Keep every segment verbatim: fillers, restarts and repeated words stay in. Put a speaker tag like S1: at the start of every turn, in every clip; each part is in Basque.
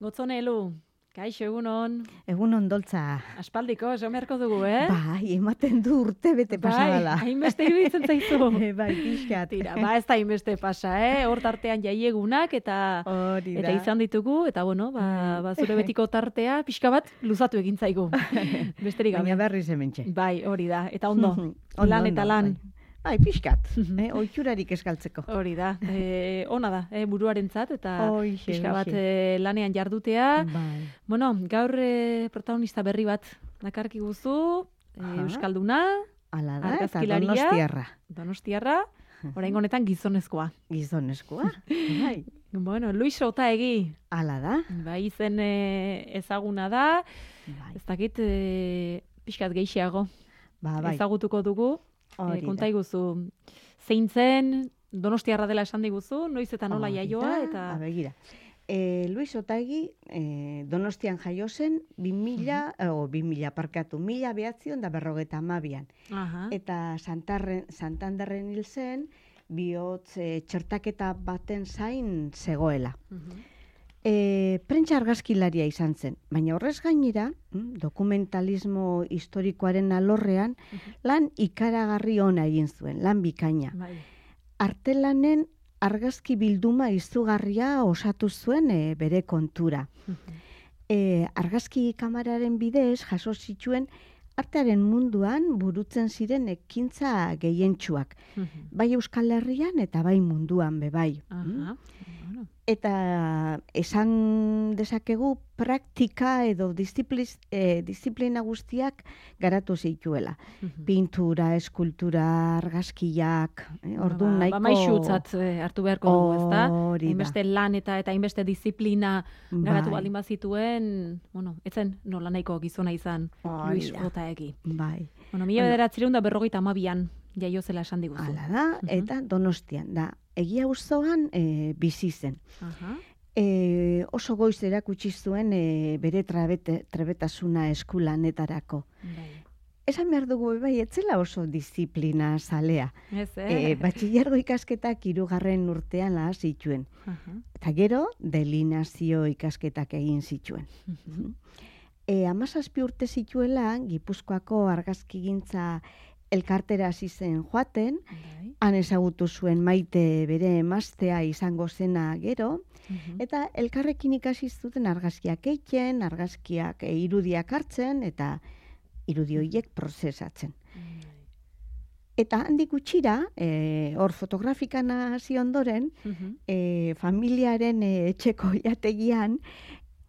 S1: Gotzonelu, kaixo egunon.
S2: Egunon doltza.
S1: Aspaldiko, esan beharko dugu, eh?
S2: Bai, ematen du urte bete pasadala.
S1: Bai, hainbeste iruditzen zaizu.
S2: Bai, pixkat.
S1: Tira, ba ez da hainbeste pasa, eh? Hor tartean jaiegunak eta
S2: Hori da.
S1: eta izan ditugu, eta bueno, ba, ba zure betiko tartea pixka bat luzatu egin zaigu. Besterik gabe.
S2: Baina berriz hementxe.
S1: Bai, hori da. Eta ondo,
S2: Ondo,
S1: lan eta
S2: ondo,
S1: lan.
S2: Bai, bai pixkat. eh? Oitxurarik eskaltzeko.
S1: Hori da. E, ona da, eh, buruarentzat eta
S2: Hoixe,
S1: pixka bat
S2: hoixe.
S1: eh, lanean jardutea.
S2: Bai.
S1: Bueno, gaur eh, protagonista berri bat dakarki guzu, eh,
S2: Aha.
S1: Euskalduna,
S2: Hala da, eta
S1: argazkilaria,
S2: donostiarra.
S1: Donostiarra, oraingo honetan gizonezkoa.
S2: Gizonezkoa. Bai.
S1: Bueno, Luis Otaegi,
S2: Hala da.
S1: bai izen eh, ezaguna da,
S2: Bai.
S1: ez dakit eh, pixkat gehiago
S2: Ba, bai.
S1: ezagutuko dugu.
S2: Hori
S1: Eh,
S2: da.
S1: konta iguzu, zein zen, Donostiarra dela esan diguzu, noiz eta nola
S2: Hori
S1: jaioa,
S2: da.
S1: eta...
S2: Ba, begira. E, Luis Otaegi e, Donostian jaio zen bi mila, o bi mila parkatu, mila behatzion da berrogeta amabian.
S1: Aha.
S2: Eta Santarren, Santanderren hil zen, bihotz e, txertaketa baten zain zegoela.
S1: Mhm.
S2: E, prentsa argazkilaria izan zen, baina horrez gainera, mm, dokumentalismo historikoaren alorrean, lan ikaragarri ona egin zuen, lan bikaina.
S1: Bai.
S2: Artelanen argazki bilduma izugarria osatu zuen e, bere kontura.
S1: Mhm.
S2: E, argazki kamararen bidez jaso zituen artearen munduan burutzen ziren ekintza gehientsuak.
S1: Mhm.
S2: Bai Euskal Herrian eta bai munduan be bai.
S1: Aha. Bueno.
S2: Eta esan dezakegu praktika edo diszipliz, eh, disiplina guztiak garatu zituela.
S1: Mhm.
S2: Pintura, eskultura, argazkiak, eh, orduan
S1: ba,
S2: nahiko...
S1: Ba, maixutzat eh, hartu beharko dugu, ezta?
S2: Hori da.
S1: Hainbeste lan eta eta hainbeste disiplina garatu
S2: Bai.
S1: baldin bazituen, bueno, etzen nola nahiko gizona izan
S2: Hori
S1: Luis
S2: da.
S1: Otaegi.
S2: Bai.
S1: Bueno, mila bederatziehun eta berrogeita hamabian jaio zela esan diguzu.
S2: Hala da, eta Donostian da. Egia auzoan e, bizi zen.
S1: Aha.
S2: E, oso goiz erakutsi zuen e, bere trabete, trebetasuna eskulanetarako.
S1: Bai.
S2: Esan behar dugu bai, etzela oso disiplina zalea.
S1: Ez, eh?
S2: E, batxillergo ikasketak hirugarren urtean laha zituen.
S1: Aha.
S2: Eta gero, delinazio ikasketak egin zituen.
S1: Mhm.
S2: E, amazazpi urte zituela, Gipuzkoako argazkigintza elkartera hasi zen joaten,
S1: Bai.
S2: han ezagutu zuen Maite bere emaztea izango zena gero,
S1: Mhm.
S2: eta elkarrekin ikasi zuten argazkiak egiten, argazkiak e, irudiak hartzen, eta irudi horiek prozesatzen.
S1: Bai.
S2: Eta handik gutxira, e, hor fotografikan hasi ondoren,
S1: Mhm.
S2: e, familiaren e, etxeko jategian,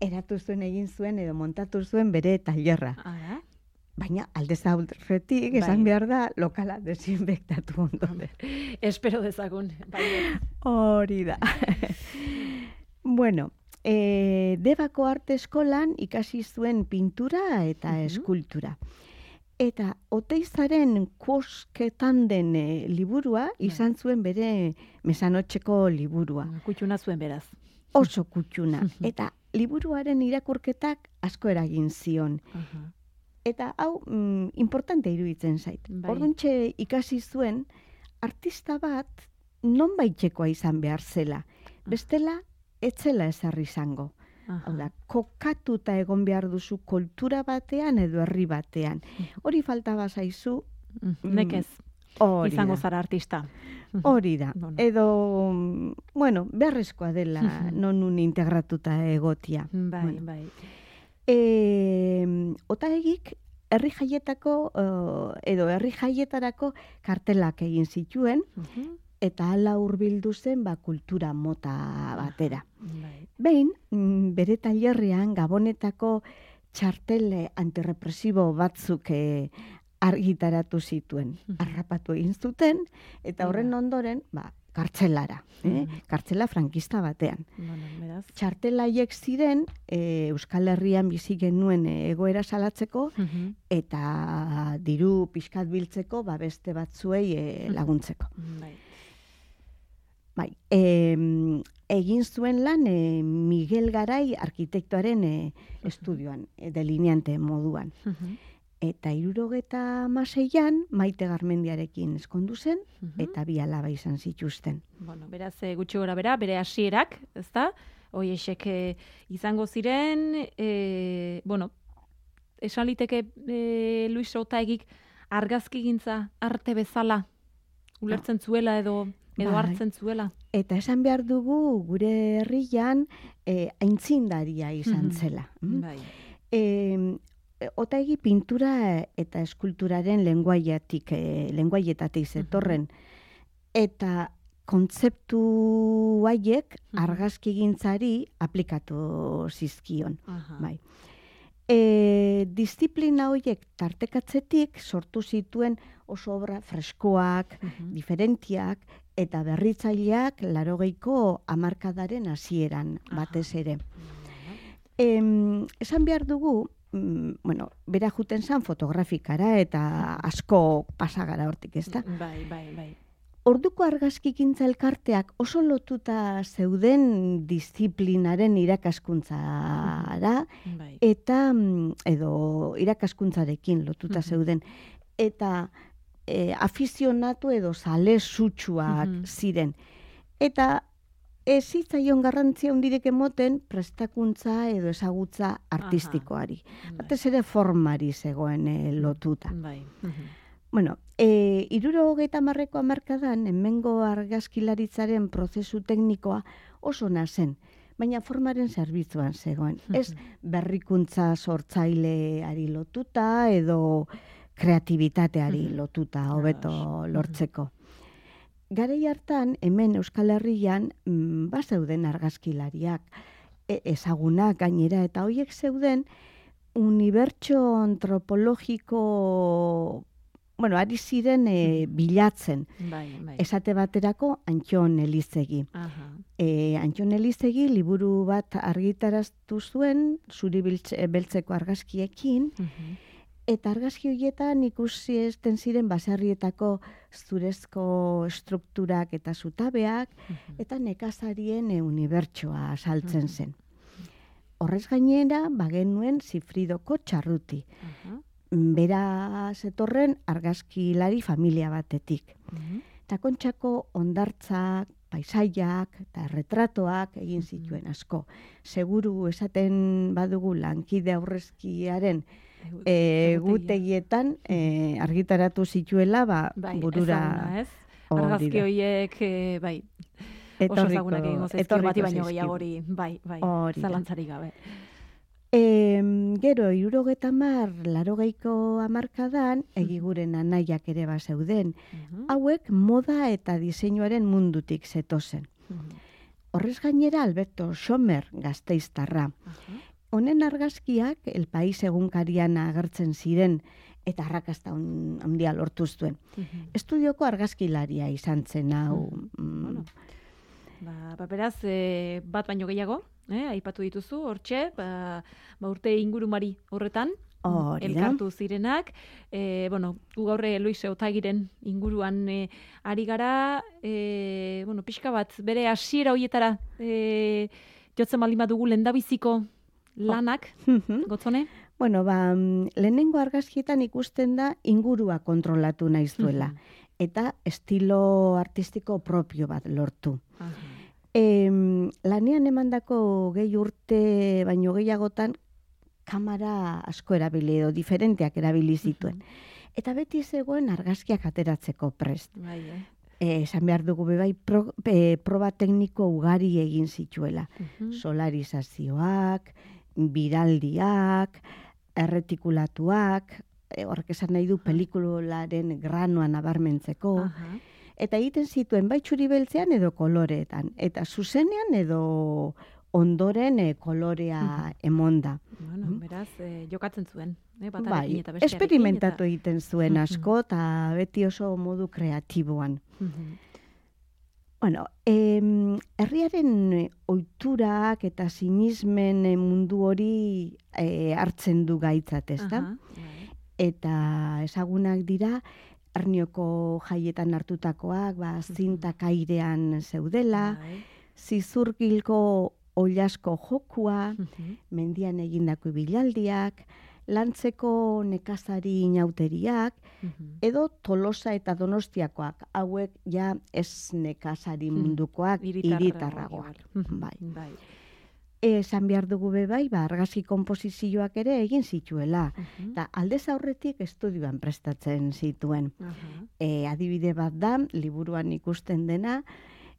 S2: eratu zuen egin zuen edo montatu zuen bere tailerra.
S1: Ara.
S2: Baina aldez aurretik esan
S1: Bai.
S2: behar da lokala desinfektatu ondoren.
S1: Espero dezagun. Bai.
S2: Hori da. Bueno, e, Debako arte eskolan ikasi zuen pintura eta
S1: Mhm.
S2: eskultura. Eta Oteizaren Kuosketan den e, liburua izan zuen bere mesanotxeko liburua.
S1: Kutxuna zuen beraz.
S2: Oso kutxuna. Eta liburuaren irakurketak asko eragin zion.
S1: Aha.
S2: Eta hau mm, importante iruditzen zait.
S1: Bai.
S2: Orduntxe ikasi zuen artista bat nonbaitekoa izan behar zela. Bestela, etzela ezarri izango.
S1: Aha.
S2: Hau da, kokatuta egon behar duzu kultura batean edo herri batean. Hori faltaba zaizu,
S1: Mhm. Nekez,
S2: hori
S1: izango
S2: da.
S1: zara artista.
S2: Hori da.
S1: Bueno.
S2: Edo, mm, bueno, beharrezkoa dela nonun integratuta egotia.
S1: Bai,
S2: Bueno.
S1: bai.
S2: E, Otaegik herri jaietako eh, edo herri jaietarako kartelak egin zituen
S1: Mhm.
S2: eta hala hurbildu zen ba kultura mota batera.
S1: Bai.
S2: Behin mm, bere tailerrean Gabonetako txartel antirrepresibo batzuk eh, argitaratu zituen.
S1: Mhm.
S2: Harrapatu egin zuten eta horren
S1: Mira.
S2: ondoren ba kartzelara, eh?
S1: Mhm.
S2: Kartzela frankista batean.
S1: Bueno, beraz.
S2: Txartelaiek ziren e, Euskal Herrian bizi genuen e, egoera salatzeko
S1: Mhm.
S2: eta diru pixkat biltzeko ba beste batzuei e, laguntzeko.
S1: Bai.
S2: Bai, e, egin zuen lan e, Miguel Garai arkitektoaren e, estudioan, e, delineante moduan.
S1: Mhm.
S2: Eta hirurogeta hamaseian Maite Garmendiarekin ezkondu zen
S1: Mhm.
S2: eta bi alaba izan zituzten.
S1: Bueno, beraz, eh, gutxi gora bera, bere hasierak, ezta? hoiesek e, izango ziren, e, bueno, esan liteke e, Luis Otaegik argazkigintza arte bezala ulertzen zuela edo edo
S2: Bai.
S1: hartzen zuela.
S2: Eta esan behar dugu gure herrian eh, aintzindaria izan zela. mm?
S1: Bai.
S2: E, Otaegi pintura eta eskulturaren lenguaiatik, e, lenguaietatik zetorren. Eta kontzeptu haiek argazkigintzari aplikatu zizkion.
S1: Aha.
S2: Bai. E, disiplina horiek tartekatzetik sortu zituen oso obra freskoak, diferentiak eta berritzaileak laurogeiko hamarkadaren hasieran batez ere. Em, esan behar dugu, mm, bueno, bera juten zan fotografikara eta asko pasagara hortik, ezta?
S1: Bai, bai, bai.
S2: Orduko argazkigintza elkarteak oso lotuta zeuden disiplinaren irakaskuntzara
S1: Bai.
S2: eta mm, edo irakaskuntzarekin lotuta zeuden eta e, afizionatu edo zale sutsuak
S1: Mhm.
S2: ziren. Eta ez zitzaion garrantzia hundirek emoten prestakuntza edo ezagutza artistikoari. Batez ere formari zegoen e, lotuta.
S1: Bai. Mhm.
S2: Bueno, e, hirurogeita hamarreko hamarkadan hemengo argazkilaritzaren prozesu teknikoa oso ona zen, baina formaren zerbitzuan zegoen. Ez berrikuntza sortzaileari lotuta edo kreatibitateari lotuta hobeto lortzeko. Garai hartan, hemen Euskal Herrian, mm, bazeuden argazkilariak, e, ezagunak gainera, eta horiek zeuden unibertso antropologiko, bueno, ari ziren e, bilatzen.
S1: Bai, bai.
S2: Esate baterako Antxon Elizegi.
S1: Aha.
S2: E, Antxon Elizegi liburu bat argitaraztu zuen, zuri biltze- beltzeko argazkiekin,
S1: Mhm.
S2: eta argazki horietan ikusi ezten ziren baserrietako zurezko estrukturak eta zutabeak, eta nekazarien e, unibertsoa saltzen zen. Horrez gainera, bagenuen Zifridoko Txarruti.
S1: Aha.
S2: Bera zetorren argazkilari familia batetik.
S1: Mhm.
S2: Eta Kontxako hondartzak, paisaiak eta retratoak egin zituen asko. Seguru esaten badugu lankide aurrezkiaren e, gutegietan e, argitaratu zituela ba,
S1: Bai,
S2: burura
S1: ezaguna, ez?
S2: hori
S1: Argazki
S2: da.
S1: horiek, e, bai, oso
S2: Etorriko-
S1: ezagunak egingo zaizkio
S2: etorriko
S1: bati baino
S2: zaizkigu.
S1: gehiagori, bai, bai,
S2: Hori da.
S1: zalantzarik gabe.
S2: E, gero, hirurogeita hamar, laurogeiko hamarkadan, egiguren anaiak ere bazeuden.
S1: Mhm.
S2: Hauek moda eta diseinuaren mundutik zetozen.
S1: Mhm.
S2: Horrez gainera Alberto Sommer Gasteiztarra.
S1: Aha.
S2: Honen argazkiak El País egunkarian agertzen ziren eta arrakasta hon- handia lortu zuen.
S1: Mhm.
S2: Estudioko argazkilaria izan zen hau. mm,
S1: Bueno. Ba, ba beraz, e, bat baino gehiago, eh, aipatu dituzu, hortxe, ba, ba urte ingurumari horretan,
S2: Hori da.
S1: elkartu zirenak, e, bueno, gu gaur e, Luis Otaegiren inguruan e, ari gara, e, bueno, pixka bat, bere hasiera hoietara, e, jotzen baldin badugu lendabiziko lanak, gotzone?
S2: Bueno, ba, mm, lehenengo argazkietan ikusten da ingurua kontrolatu nahi zuela. Eta estilo artistiko propio bat lortu.
S1: Aha.
S2: Em, lanean emandako gehi urte baino gehiagotan kamera asko erabili edo diferenteak erabili zituen. Eta beti zegoen argazkiak ateratzeko prest.
S1: Bai, eh?
S2: Eh, esan behar dugu bebai pro, e, proba tekniko ugari egin zituela.
S1: Mhm.
S2: Solarizazioak, biraldiak, erretikulatuak, e, horrek esan nahi du pelikularen granoa nabarmentzeko.
S1: Aha.
S2: Eta egiten zituen bai txuri beltzean edo koloreetan. Eta zuzenean edo ondoren e, kolorea emonda.
S1: Bueno, beraz, eh, jokatzen zuen, eh, batarekin
S2: Bai,
S1: eta bestearekin.
S2: esperimentatu
S1: eta-
S2: egiten zuen
S1: Mhm.
S2: asko eta beti oso modu kreatiboan.
S1: Mhm.
S2: Bueno, em, herriaren eh, ohiturak eta sinismen eh, mundu hori eh, hartzen du gaitzat, ezta?
S1: Aha, bai.
S2: Eta ezagunak dira Ernioko jaietan hartutakoak, ba zintak airean zeudela,
S1: Bai.
S2: zizurgilko oilasko jokua,
S1: Mhm.
S2: mendian egindako ibilaldiak, lantzeko nekazari inauteriak,
S1: Mhm.
S2: edo Tolosa eta Donostiakoak, hauek ja ez nekazari mundukoak,
S1: Hiritarragoak.
S2: hiritarragoak.
S1: Mhm.
S2: Bai.
S1: Bai.
S2: esan behar dugu be bai, ba, argazki konposizioak ere egin zituela.
S1: Mhm.
S2: Eta aldez aurretik estudioan prestatzen zituen.
S1: Aha.
S2: E, adibide bat da, liburuan ikusten dena,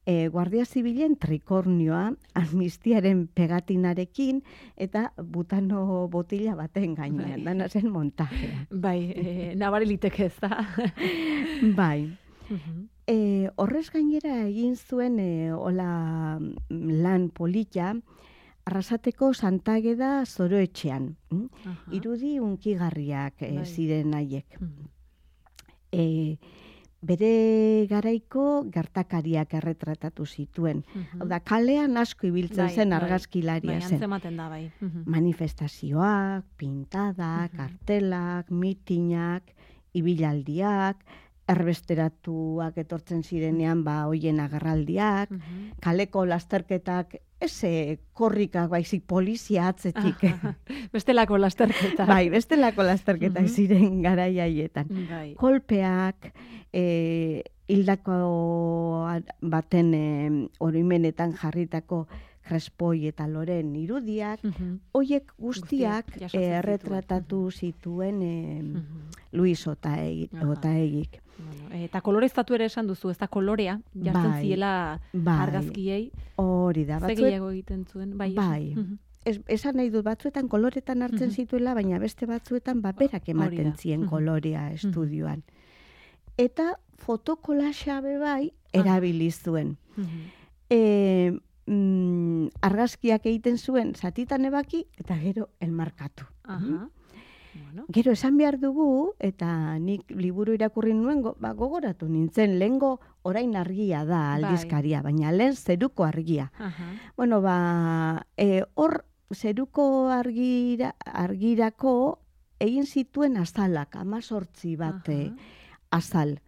S2: e, Guardia Zibilen trikornioa amnistiaren pegatinarekin eta butano botila baten gainean,
S1: Bai.
S2: dana zen montajea.
S1: Bai, e, nabari liteke ez da.
S2: Bai.
S1: Mhm.
S2: E, horrez gainera egin zuen e, hola lan polita, Arrasateko Santageda Zoroetxean. Mm?
S1: Aha.
S2: Irudi unkigarriak e,
S1: Bai.
S2: ziren haiek.
S1: Mhm.
S2: E, bere garaiko gertakariak erretratatu zituen.
S1: Mhm.
S2: Hau da, kalean asko ibiltzen
S1: Bai,
S2: zen
S1: bai,
S2: argazkilaria
S1: Bai,
S2: zen.
S1: antzematen da, bai. Mhm.
S2: Manifestazioak, pintadak,
S1: Mhm.
S2: kartelak, mitinak, ibilaldiak, erbesteratuak etortzen zirenean ba hoien agerraldiak,
S1: Mhm.
S2: kaleko lasterketak, eze korrikak baizik polizia atzetik.
S1: Aha. Bestelako lasterketa.
S2: Bai, bestelako lasterketak
S1: Mhm.
S2: ziren garai haietan.
S1: Bai.
S2: Kolpeak, e, hildako baten e, oroimenetan jarritako Crespoi eta Loren irudiak,
S1: Mhm.
S2: hoiek guztiak
S1: Guztiak jasotzen
S2: eh,
S1: zituen.
S2: erretratatu zituen eh,
S1: Mhm.
S2: Luis Otaegi,
S1: Aha.
S2: Otaegik.
S1: Bueno, eta koloreztatu ere esan duzu, ez da kolorea, jartzen
S2: Bai,
S1: ziela
S2: bai.
S1: argazkiei.
S2: Hori da,
S1: Ze
S2: batzuet,
S1: gehiago egiten zuen, bai. esan.
S2: bai.
S1: Mhm.
S2: es, esan nahi dut, batzuetan koloretan hartzen
S1: Mhm.
S2: zituela, baina beste batzuetan baberak
S1: Hori
S2: ematen
S1: da.
S2: zien
S1: Mhm.
S2: kolorea estudioan. Eta fotokolaxa be bai erabili zuen.
S1: Mhm.
S2: E, mm, argazkiak egiten zuen zatitan ebaki eta gero enmarkatu.
S1: Aha. Bueno.
S2: Gero esan behar dugu, eta nik liburu irakurri nuen, go, ba, gogoratu nintzen, lehengo orain argia da
S1: Bai.
S2: aldizkaria, baina lehen zeruko argia.
S1: Aha.
S2: Bueno, ba, e, hor zeruko argira, argirako egin zituen azalak, amazortzi bat eh,
S1: Aha.
S2: azal.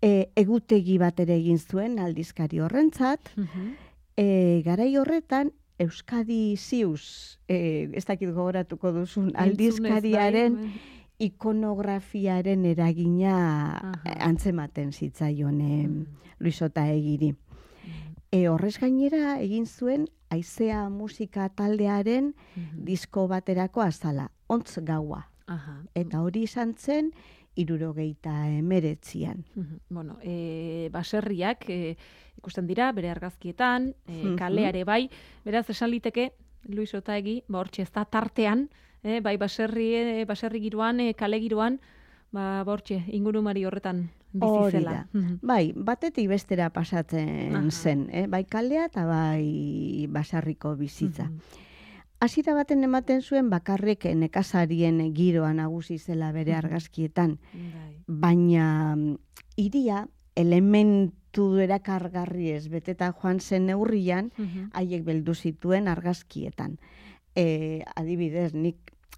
S2: E, egutegi bat ere egin zuen aldizkari horrentzat,
S1: Mhm.
S2: e, garai horretan, Euskadi Ziuz, e, ez dakit gogoratuko duzun, aldizkariaren
S1: Entzunez, bai,
S2: ikonografiaren eragina
S1: Aha.
S2: antzematen zitzaion e,
S1: Mhm.
S2: Luis Otaegiri.
S1: Mhm.
S2: E, horrez gainera egin zuen Aizea musika taldearen
S1: Mhm.
S2: disko baterako azala, ontz gaua.
S1: Aha.
S2: Eta hori izan zen, irurogeita emeretzian.
S1: Mhm. Bueno, e, baserriak e, ikusten dira, bere argazkietan, e,
S2: Mhm.
S1: kaleare bai, beraz esan liteke, Luis Otaegi, ba hortxe ez da tartean, e, bai baserri, e, baserri giroan, e, kale giroan, ba hortxe, ingurumari horretan bizi
S2: Hori
S1: zela.
S2: da.
S1: Mhm.
S2: Bai, batetik bestera pasatzen
S1: Aha.
S2: zen, eh? Bai kaldea eta bai basarriko bizitza.
S1: Mhm.
S2: Hasiera baten ematen zuen bakarrik nekazarien giroa nagusi zela bere
S1: Mhm.
S2: argazkietan,
S1: Bai.
S2: baina mm, hiria elementu erakargarriez beteta joan zen neurrian,
S1: Mhm.
S2: haiek beldu zituen argazkietan. E, adibidez, nik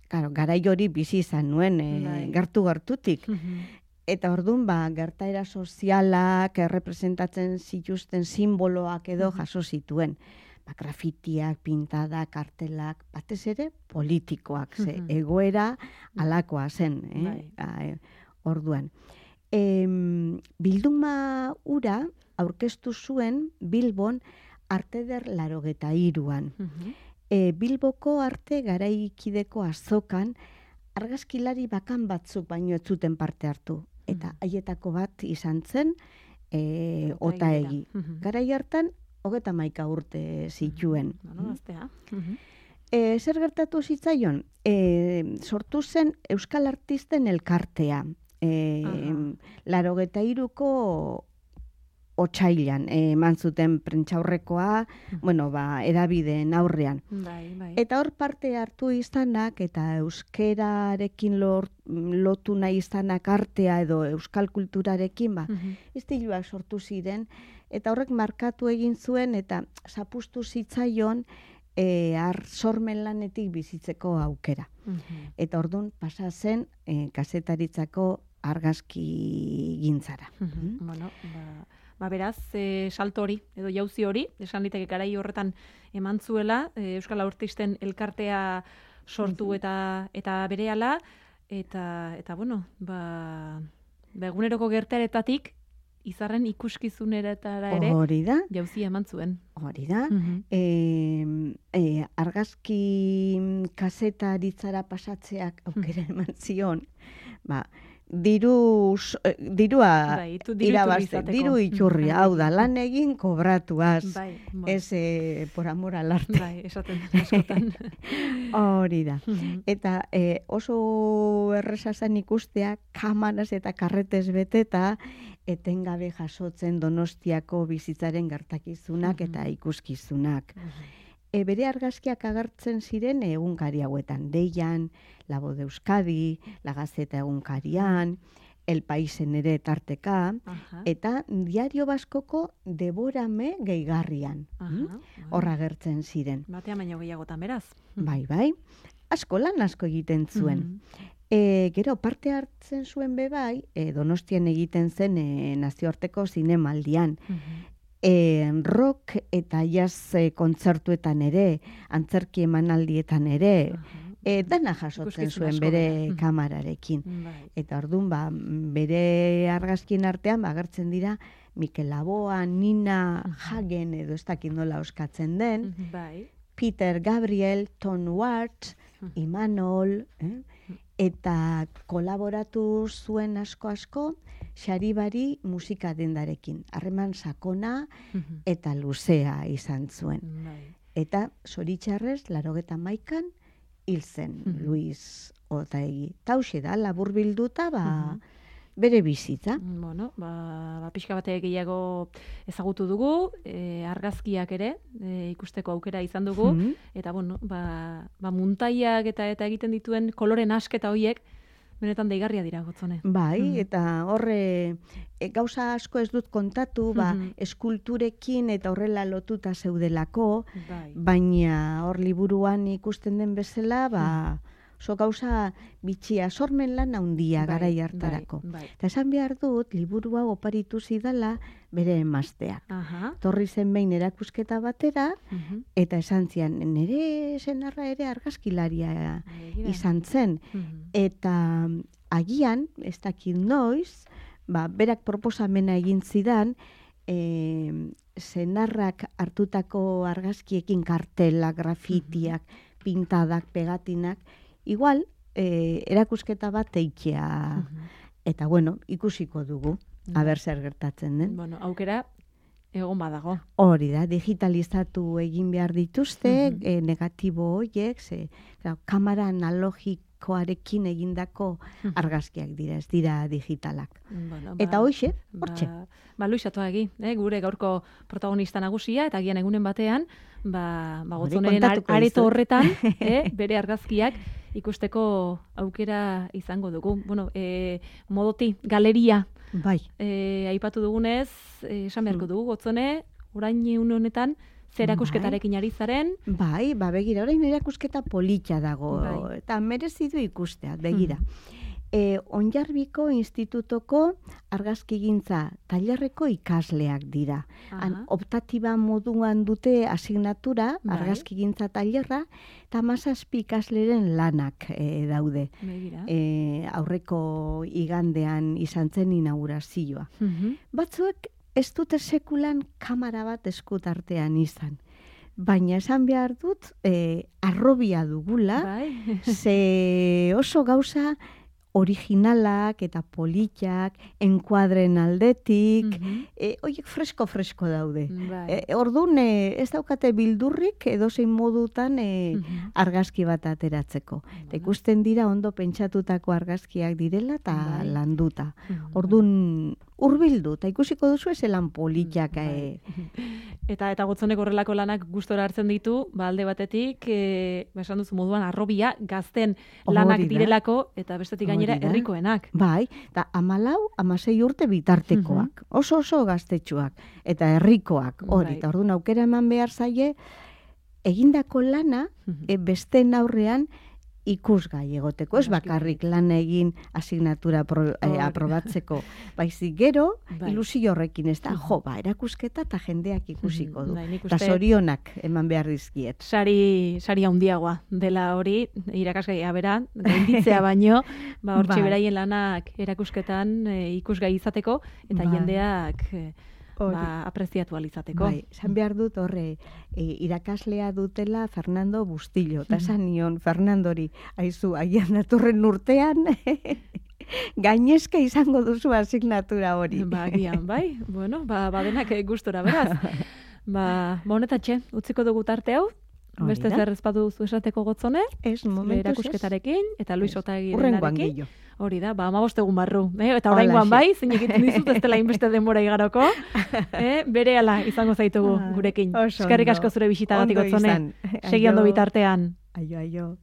S2: claro, garai hori bizi izan nuen, e,
S1: Bai.
S2: gertu-gertutik.
S1: Mhm.
S2: Eta orduan, ba, gertaera sozialak, errepresentatzen zituzten simboloak edo
S1: Mhm.
S2: jaso zituen. Ba, grafitiak, pintadak, kartelak, batez ere politikoak, ze
S1: Mhm.
S2: egoera alakoa zen, eh?
S1: Bai.
S2: A, e, orduan. Em, bilduma ura aurkeztu zuen Bilbon Arteder larogeta iruan.
S1: Mhm.
S2: E, Bilboko arte garaikideko azokan argazkilari bakan batzuk baino ez zuten parte hartu. Eta
S1: Mhm.
S2: haietako bat izan zen e,
S1: Otaegi
S2: Otaegi.
S1: bera. Mhm.
S2: Garai hartan, hogeta maika urte zituen.
S1: Bueno, gaztea. Mhm.
S2: E, zer gertatu zitzaion? E, sortu zen Euskal Artisten elkartea. E,
S1: Aha.
S2: larogeta iruko otsailan e, eman zuten prentxaurrekoa, bueno, ba, edabideen aurrean.
S1: Bai, bai.
S2: Eta hor parte hartu izanak eta euskerarekin lor, lotu nahi izanak artea edo euskal kulturarekin, ba,
S1: Mhm.
S2: istiluak sortu ziren, eta horrek markatu egin zuen eta zapustu zitzaion e, ar sormen lanetik bizitzeko aukera.
S1: Mhm.
S2: Eta orduan pasa zen e, kazetaritzako argazki gintzara.
S1: Mhm. Bueno, ba, ba beraz, e, salto hori, edo jauzi hori, esan liteke garai horretan eman zuela, e, Euskal Artisten elkartea sortu eta eta berehala, eta, eta bueno, ba, ba eguneroko gertaeretatik izarren ikuskizuneretara ere
S2: hori da,
S1: jauzi eman zuen.
S2: hori da.
S1: Mhm.
S2: E, e, argazki kazetaritzara pasatzeak aukera eman zion, ba, diru, eh, dirua
S1: Bai, tu diru iturri
S2: irabazte,
S1: izateko.
S2: diru iturri,
S1: Mhm.
S2: hau da, lan egin kobratuaz,
S1: Bai, bueno.
S2: ez eh, por amor al arte.
S1: Bai, esaten askotan.
S2: Hori da.
S1: Mhm.
S2: Eta eh, oso erresa zen ikustea, kamaraz eta karretez beteta, etengabe jasotzen Donostiako bizitzaren gertakizunak
S1: Mhm.
S2: eta ikuskizunak. E, bere argazkiak agertzen ziren egunkari hauetan, Deian, La Voz de Euskadi, La Gazeta egunkarian, El Paisen ere tarteka,
S1: Aha.
S2: eta Diario Baskoko Deborame gehigarrian.
S1: Aha.
S2: Hor agertzen ziren.
S1: Batean baino gehiagotan beraz.
S2: Bai, bai. Asko lan asko egiten zuen.
S1: Mhm.
S2: E, gero, parte hartzen zuen bebai, e, Donostian egiten zen e, nazioarteko zinemaldian.
S1: Mhm.
S2: E, rock eta jazz e, kontzertuetan ere, antzerki emanaldietan ere,
S1: Aha.
S2: e, dana jasotzen
S1: Ikuskizun
S2: zuen
S1: asko
S2: bere
S1: bera. Mhm.
S2: kamararekin.
S1: Bai.
S2: Eta orduan, ba, bere argazkien artean, ba, agertzen dira, Mikel Laboa, Nina Hagen, edo ez dakit nola oskatzen den,
S1: Mhm. Bai.
S2: Peter Gabriel, Tom Watts,
S1: Mhm.
S2: Imanol, eh? eta kolaboratu zuen asko-asko Xaribari musika dendarekin. Harreman sakona
S1: Mhm.
S2: eta luzea izan zuen.
S1: Bai.
S2: Eta zoritxarrez, larogeta maikan, hil zen
S1: Mhm.
S2: Luis Otaegi. Tauxe da, labur bilduta, ba,
S1: Mhm.
S2: bere bizitza.
S1: Bueno, ba, ba pixka bate gehiago ezagutu dugu, e, argazkiak ere e, ikusteko aukera izan dugu,
S2: Mhm.
S1: eta bueno, ba, ba muntaiak eta eta egiten dituen koloren asketa hoiek benetan deigarria dira Gotzone.
S2: Bai,
S1: Mhm.
S2: eta horre e, gauza asko ez dut kontatu, ba,
S1: Mhm.
S2: eskulturekin eta horrela lotuta zeudelako,
S1: Bai.
S2: baina hor liburuan ikusten den bezala, ba, oso gauza bitxia, sormen lan handia
S1: Bai,
S2: garai hartarako.
S1: Bai, bai.
S2: Eta esan behar dut, liburu hau oparitu zidala bere emazteak.
S1: Aha.
S2: Torri zen behin erakusketa batera,
S1: Mhm.
S2: eta esan zian, nire senarra ere argazkilaria
S1: Begira.
S2: izan zen.
S1: Mhm.
S2: Eta agian, ez dakit noiz, ba, berak proposamena egin zidan, e, senarrak hartutako argazkiekin kartelak, grafitiak, pintadak, pegatinak, igual, e, erakusketa bat eitea.
S1: Mhm.
S2: Eta bueno, ikusiko dugu, aber zer gertatzen den.
S1: Bueno, aukera egon badago.
S2: Hori da, digitalizatu egin behar dituzte,
S1: Mhm.
S2: e, negatibo horiek, ze, claro, kamera analogikoarekin egindako
S1: Mhm.
S2: argazkiak dira, ez dira digitalak.
S1: Bueno,
S2: Eta hoxe,
S1: ba,
S2: hortxe.
S1: ba Luis Atoagi, eh, gure gaurko protagonista nagusia, eta agian egunen batean, ba, ba
S2: Hori
S1: Gotzoneren
S2: kontatuko
S1: areto
S2: dizut.
S1: horretan, eh, bere argazkiak ikusteko aukera izango dugu. Bueno, eh, modoti, galeria,
S2: Bai,
S1: eh, aipatu dugunez, eh, esan beharko dugu, Gotzone, orain une honetan, zer erakusketarekin ari zaren,
S2: bai, ba, begira, orain erakusketa politxa dago,
S1: Bai.
S2: eta merezi du ikustea, begira. E, Onjarbiko Institutoko argazkigintza tailerreko ikasleak dira. Han,
S1: Aha.
S2: optatiba moduan dute asignatura,
S1: Bai.
S2: argazkigintza tailerra, eta mazazpi ikasleren lanak e, daude.
S1: begira.
S2: E, aurreko igandean izan zen inaugurazioa.
S1: Mhm.
S2: Batzuek ez dute sekulan kamera bat eskutartean izan. Baina esan behar dut, e, arrobia dugula,
S1: Bai.
S2: ze oso gauza originalak eta politak, enkuadren aldetik,
S1: Mhm.
S2: e, oiek fresko-fresko daude.
S1: Bai.
S2: E, orduan, e, ez daukate bildurrik edozein modutan e,
S1: Mhm.
S2: argazki bat ateratzeko. Eta ikusten dira ondo pentsatutako argazkiak direla eta
S1: Bai.
S2: landuta.
S1: Mhm.
S2: Orduan, hurbildu, eta ikusiko duzu ezelan politak.
S1: Bai.
S2: E,
S1: Eta eta Gotzonek horrelako lanak gustora hartzen ditu, ba alde batetik, eh, ba esan duzu moduan arrobia gazten lanak
S2: Hori da.
S1: direlako eta bestetik gainera
S2: Hori da.
S1: herrikoenak.
S2: Bai, eta amalau, amasei urte bitartekoak. Oso oso gaztetxuak. Eta herrikoak, hori.
S1: Bai.
S2: Eta orduan aukera eman behar zaie, egindako lana,
S1: Mhm.
S2: e, besteen aurrean, ikusgai egoteko, ez bakarrik lan egin asignatura pro, eh, aprobatzeko, baizik gero
S1: Bai.
S2: ilusio horrekin ez da, jo, ba, erakusketa eta jendeak ikusiko du.
S1: Bai, nik
S2: Eta
S1: uste-
S2: zorionak eman behar dizkiet.
S1: Sari, sari handiagoa dela hori, irakasgaia bera, gainditzea baino, ba, hortxe
S2: Bai.
S1: beraien lanak erakusketan e, ikusgai izateko, eta
S2: Bai.
S1: jendeak e,
S2: Hori.
S1: ba, apreziatu alizateko.
S2: Bai, esan behar dut horre, e, irakaslea dutela Fernando Bustillo, eta esan nion Fernandori, aizu, agian datorren urtean, gainezka izango duzu asignatura hori.
S1: Ba, agian, bai, bueno, ba, badenak eh, gustora, beraz. Ba, ba honetatxe, utziko dugu tarte hau,
S2: Hori
S1: beste
S2: da.
S1: zer ezpadu zu esateko gotzone,
S2: Ez,
S1: zure
S2: momentuz ez.
S1: erakusketarekin, eta Luis
S2: Ez. Hurrengoan
S1: Otagirenarekin.
S2: gehiago.
S1: Hori da, ba, amabost egun barru. Eh? Eta
S2: Holaxe.
S1: oraingoan bai, zein egiten dizut, ez dela inbeste denbora igaroko. Eh? Bere ala izango zaitugu
S2: Ah,
S1: gurekin.
S2: oso
S1: Eskerrik
S2: ondo.
S1: asko zure bisitagatik
S2: Ondo
S1: gotzone.
S2: izan.
S1: Segi ondo
S2: Aio.
S1: bitartean.
S2: Aio, aio.